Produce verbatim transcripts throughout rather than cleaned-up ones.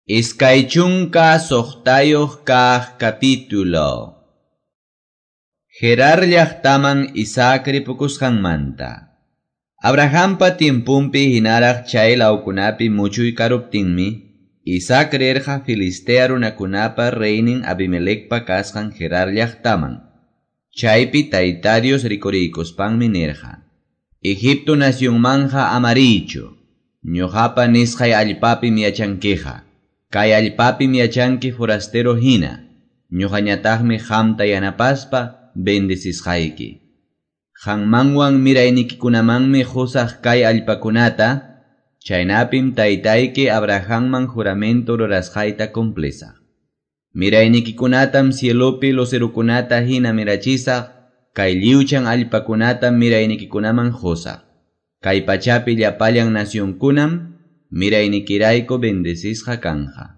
Iskay chunka suqtayuq kaq capítulo. Gerar llaqtaman Isaac ripukusqanmanta. Abrahampa tiempunpi hinaraq chay lawkunapi muchuy karuptinmi, Isaac rirqa Filistea runakunapa reynin Abimelecpa kasqan Gerar llaqtaman. Chaypi Tayta Dios rikuriykuspanmi nirqa: Egipto nacionmanja amariychu, ñuqapa nisqay allpapim yachankiqa. Kay allpapim yachanki forastero hina, ñuqañataqmi qamta yanapaspa bendecisqayki. Qanmanwan miraynikikunamanmi qusaq kay allpakunata, chaynapim taytayki Abrahamman juramento rurasqayta cumplisaq. Miraynikikunatam cielopi lucerukunata hina mirachisaq, kay lliwchan allpakunatam miraynikikunaman qusaq. Kay pachapi llapallan nacionkunam miraynikirayku bendecisqa kanja.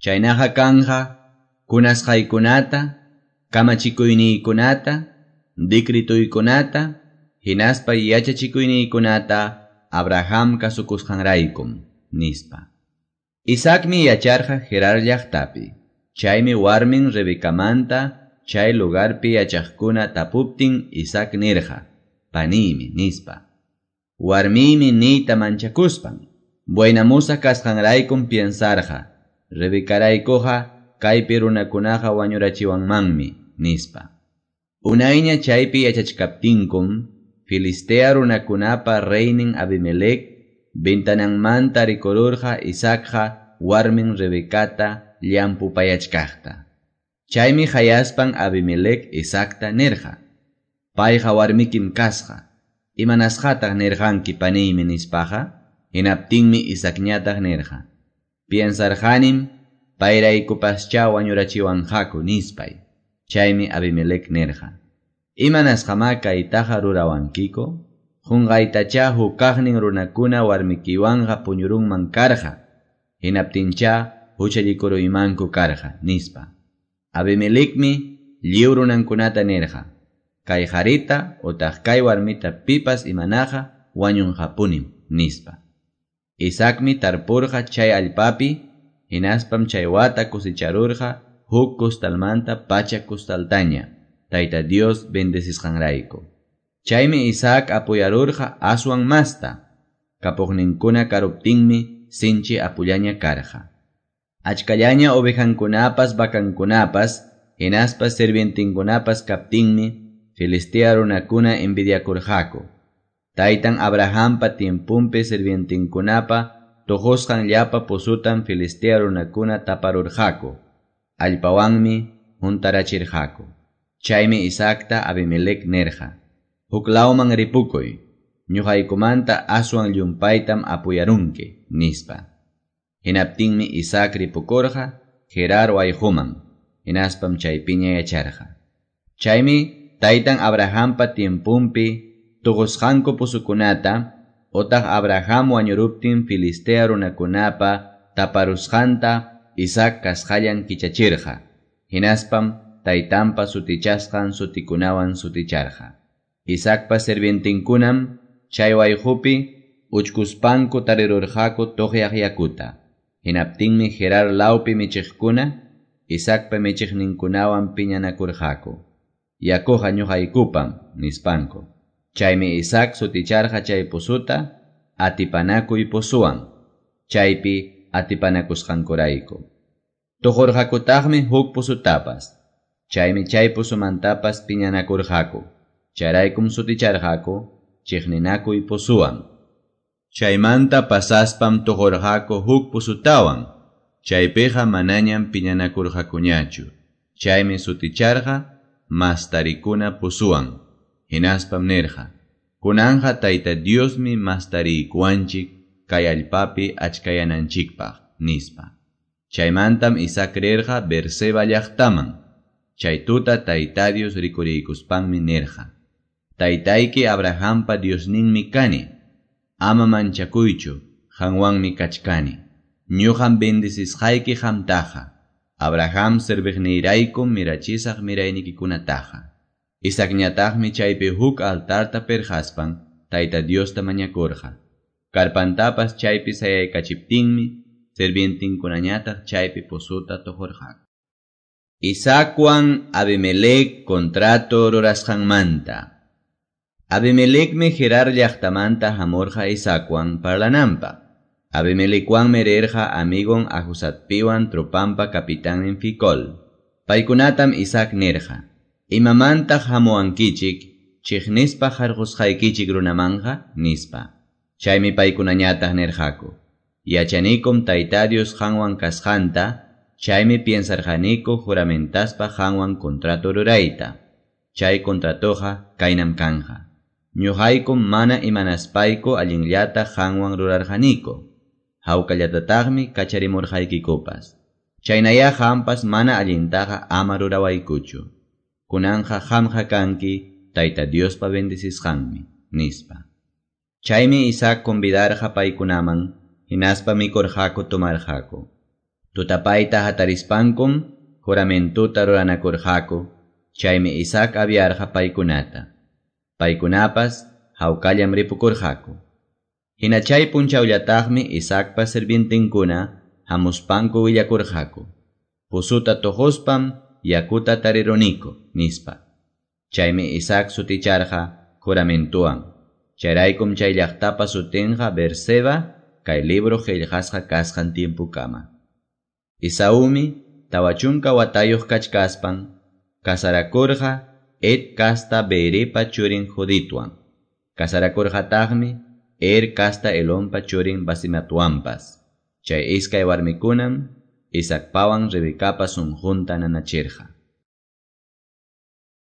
Chaynaqa kanja kunasqaykunata, kamachikuyniykunata, dikrituykunata, hinaspa yachachikuyniykunata Abraham kasukusqanraykum, nispa. Isaacmi yacharqa Gerar llaqtapi. Chaymi warmin Rebecamanta chay lugarpi yachaqkuna tapuptin Isaac nirqa, paniymi, nispa. Warmiymi niyta manchakuspan. Buenamusa kasqanraykum piensarqa, Rebecaraykuqa kaypi runakunaqa wañurachiwanmanmi, nispa. Unayña chaypi yachachkaptinkum, Filistea runakunapa reynin Abimelec ventananmanta rikururqa Isaacqa warmin Rebecata llampupayachkaqta. Chaymi hayaspan Abimelec Isaacta nirqa: Payqa warmikim kasqa, imanasqataq nirqanki paniymi nispaqa? Hinaptinmi Isaacñataq nirqa: Piensarqanim payraykupaschá wañurachiwanqaku nispay. Chaymi Abimelec nirqa: Imanasqamá kaytaqa rurawankiku? Qunqaytachá hukaqnin runakuna warmikiwanqa puñurunman karqa. Hinaptinchá huchallikuruymanku karqa, nispa. Abimelecmi lliw runankunata nirqa: Kay qarita utaq kay warmita pipas imanaqa wañunqapunim, nispa. Isaacmi tarpurqa chay allpapi, hinaspam chay wata cosecharurqa huk costalmanta pachak costaltaña, Tayta Dios bendecisqanrayku. Chaymi Isaac apuyarurqa aswan masta, kapuqninkuna karuptinmi sinchi apullaña karqa. Achkallaña ovejankunapas vacankunapas, hinaspa sirvientinkunapas kaptinmi, Filistea runakuna envidiakurqaku. Taytan Abrahampa tiempunpi sirvientinkunapa tuqusqan llapa pozutam Filistea runakuna taparurqaku. Allpawanmi huntarachirqaku. Chaymi Isaacta Abimelec nirqa: Huk lawman ripukuy, ñuqaykumanta aswan llumpaytam apuyarunki, nispa. Hinaptinmi Isaac ripukurqa Gerar wayquman, hinaspam chaypiña yacharqa. Chaymi taytan Abrahampa tiempunpi tuqusqanku pozukunata, otaq Abraham wañuruptin Filistea runakunapa taparusqanta Isaac kasqallan kichachirqa. Hinaspam taytanpa sutichasqan sutikunawan suticharqa. Isaacpa sirvientinkunam chay wayqupi uchkuspanku tarirurqaku tuqyaq yakuta. Hinaptinmi Gerar lawpi michiqkuna Isaacpa michiqninkunawan piñanakurqaku. Yakuqa ñuqaykupam, nispanku. Chaymi Isaac suticharqa chay pozuta atipanakuy pozuwan, chaypi atipanakusqankurayku. Tuqurqakutaqmi huk pozutapas, chaymi chay pozumantapas piñanakurqaku. Chayraykum suticharqaku chiqninakuy pozuwan. Chaymanta pasaspam tuqurqaku huk pozutawan, chaypiqa manañam piñanakurqakuñachu. Chaymi suticharqa mastarikuna pozuwan. Hinaspam nirqa: Kunanja Tayta Diosmi mastariykuwanchik kay allpapi achkayananchikpaq, nispa. Chaymantam Isaac rirqa Beerseba llaqtaman. Chay tuta Tayta Dios rikuriykuspanmi nirqa: Taytayki Abrahampa Diosninmi kani. Ama manchakuychu, qanwanmi kachkani. Ñuqam bendecisqayki qamtaqa. Abraham serviqniyraykum mirachisaq miraynikikunataqa. Isaacñataqmi chaypi huk altarta pirqaspan Tayta Diosta mañakurqa. Karpantapas chaypi sayaykachiptinmi sirvientinkunañataq chaypi pozuta toqorqaku. Isaacwan Abimelec contrato rurasqanmanta. Abimelecmi Gerar llaqtamanta hamurqa Isaacwan parlananpaq. Abimelecwanmi rirqa amigon Ahuzatpiwan tropanpa capitannin Ficol. Paykunatam Isaac nirqa: Imamantaq hamuwankichik chiqnispa harqusqaykichik runamanqa, nispa. Chaymi paykunañataq nirqaku: Yachanikum Tayta Dios qanwan kasqanta, chaymi piensarqaniku juramentaspa qanwan contrato rurayta. Chay contratoqa kaynam kanja. Ñuqaykum mana imanaspayku allinllata qanwan rurarqaniku. Hawkallatataqmi kacharimurqaykikupas. Chaynaya qampas mana allintaqa ama rurawaykuchu. Kunanqa qamqa kanki Tayta Diospa bendecisqanmi, nispa. Chaymi Isaac convidarqa paykunaman, hinaspa mikurqaku tomarqaku. Tutapayta hatarispankum juramentuta ruranakurqaku, chaymi Isaac aviarqa paykunata. Paykunapas hawkallam ripukurqaku. Hina chay punchawllataqmi Isaacpa sirvientinkuna hamuspanku willakurqaku. Puzuta tuquspam yakuta tariruniku, nispa. Chaymi Isaac suticharqa juramentuwan. Chayraykum chay llaqtapa sutinqa Beerseba kay libro qillqasqa kasqan tiempukama. Esaúmi tawa chunka watayuq kachkaspan kasarakurqa Het kasta Beeripa churin Juditwan. Kasarakurqataqmi Er kasta Elonpa churin Basimatwanpas. Chay iskay warmikunam Isaacpawan Rebecapa sunqunta nanachirqa.